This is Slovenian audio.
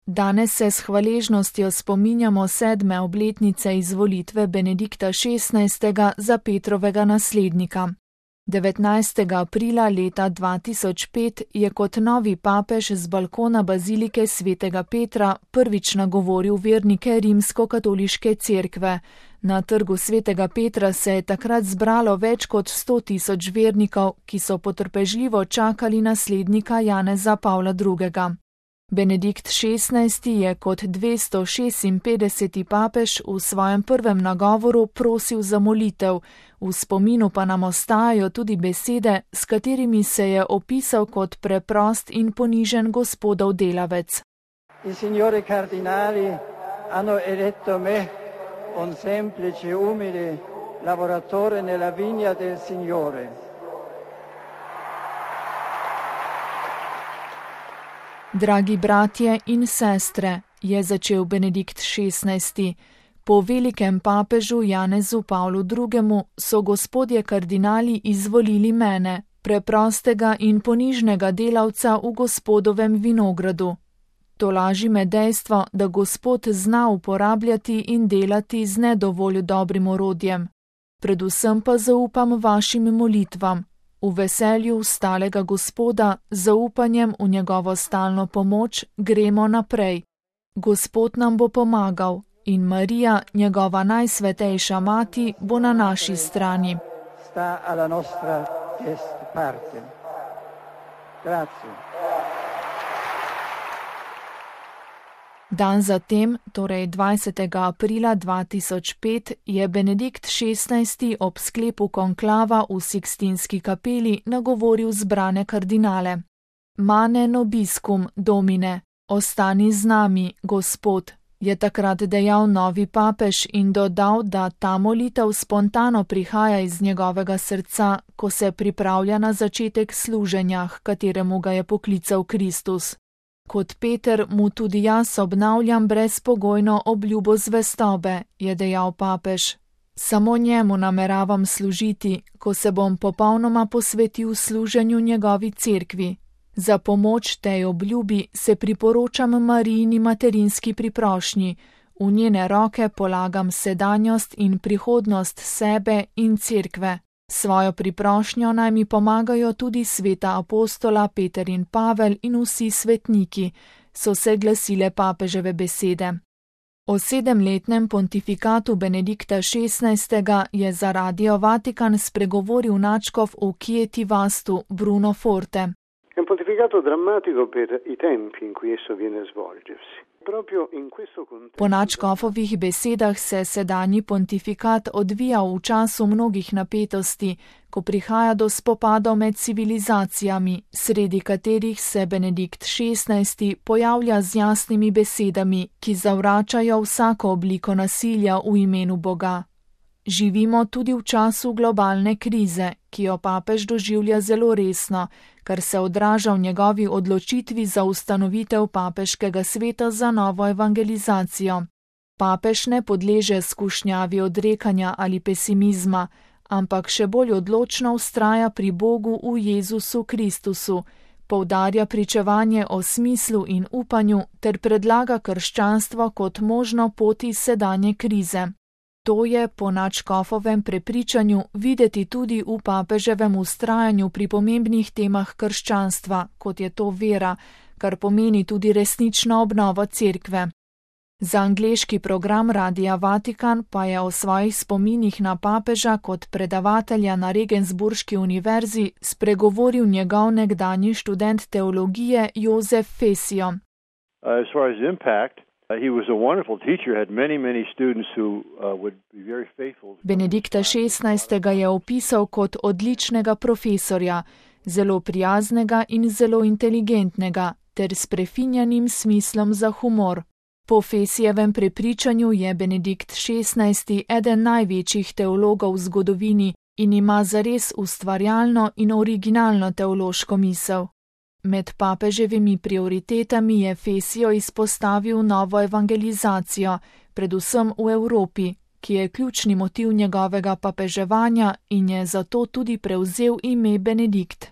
Danes se s hvaležnostjo spominjamo 7. obletnice izvolitve Benedikta XVI. Za Petrovega naslednika. 19. aprila leta 2005 je kot novi papež z balkona bazilike svetega Petra prvič nagovoril vernike Rimskokatoliške cerkve. Na trgu svetega Petra se je takrat zbralo več kot 100.000 vernikov, ki so potrpežljivo čakali naslednika Janeza Pavla II. Benedikt XVI. Je kot 256. papež v svojem prvem nagovoru prosil za molitev, v spominu pa nam ostajajo tudi besede, s katerimi se je opisal kot preprost in ponižen gospodov delavec. I signori cardinali hanno eletto me, un semplice umile lavoratore nella vigna del Signore. Dragi bratje in sestre, je začel Benedikt XVI. Po velikem papežu Janezu Pavlu II. So gospodje kardinali izvolili mene, preprostega in ponižnega delavca v gospodovem vinogradu. Tolaži me dejstvo, da Gospod zna uporabljati in delati z nedovolj dobrim orodjem. Predvsem pa zaupam vašim molitvam, v veselju stalega Gospoda, zaupanjem v njegovo stalno pomoč gremo naprej. Gospod nam bo pomagal in Marija, njegova najsvetejša mati, bo na naši strani. Sta alla nostra parte. Grazie. Dan zatem, torej 20. aprila 2005, je Benedikt XVI. Ob sklepu konklava v Sikstinski kapeli nagovoril zbrane kardinale. Mane nobiscum, Domine, ostani z nami, Gospod, je takrat dejal novi papež in dodal, da ta molitev spontano prihaja iz njegovega srca, ko se pripravlja na začetek služenja, h kateremu ga je poklical Kristus. Kot Peter mu tudi jaz obnavljam brezpogojno obljubo zvestobe, je dejal papež. Samo njemu nameravam služiti, ko se bom popolnoma posvetil služenju njegovi cerkvi. Za pomoč tej obljubi se priporočam Marijini materinski priprošnji, v njene roke polagam sedanjost in prihodnost sebe in cerkve. Svojo priprošnjo naj mi pomagajo tudi sveta apostola Peter in Pavel in vsi svetniki, so se glasile papeževe besede. O 7-letnem pontifikatu Benedikta XVI. Je za Radio Vatikan spregovoril nadškof v Chieti Vastu Bruno Forte. È un pontificato drammatico per i tempi in cui esso viene a svolgersi. Po nadškofovih besedah se sedanji pontifikat odvija v času mnogih napetosti, ko prihaja do spopadov med civilizacijami, sredi katerih se Benedikt XVI. Pojavlja z jasnimi besedami, ki zavračajo vsako obliko nasilja v imenu Boga. Živimo tudi v času globalne krize, ki jo papež doživlja zelo resno, kar se odraža v njegovi odločitvi za ustanovitev papeškega sveta za novo evangelizacijo. Papež ne podleže skušnjavi odrekanja ali pesimizma, ampak še bolj odločno vztraja pri Bogu v Jezusu Kristusu, poudarja pričevanje o smislu in upanju ter predlaga krščanstvo kot možno pot iz sedanje krize. To je po nadškofovem prepričanju videti tudi v papeževem vztrajanju pri pomembnih temah krščanstva, kot je to vera, kar pomeni tudi resnično obnovo cerkve. Za angleški program Radia Vatikan pa je o svojih spominih na papeža kot predavatelja na Regensburški univerzi spregovoril njegov nekdanji študent teologije Jozef Fesio. As far as impact, he was a wonderful teacher, had many students who would be very faithful. Benedikta XVI. Je opisal kot odličnega profesorja, zelo prijaznega in zelo inteligentnega, ter s prefinjenim smislom za humor. Po Fesijevem prepričanju je Benedikt XVI. Eden največjih teologov v zgodovini in ima zares ustvarjalno in originalno teološko misel. Med papeževimi prioritetami je Fesio izpostavil novo evangelizacijo, predvsem v Evropi, ki je ključni motiv njegovega papeževanja in je zato tudi prevzel ime Benedikt.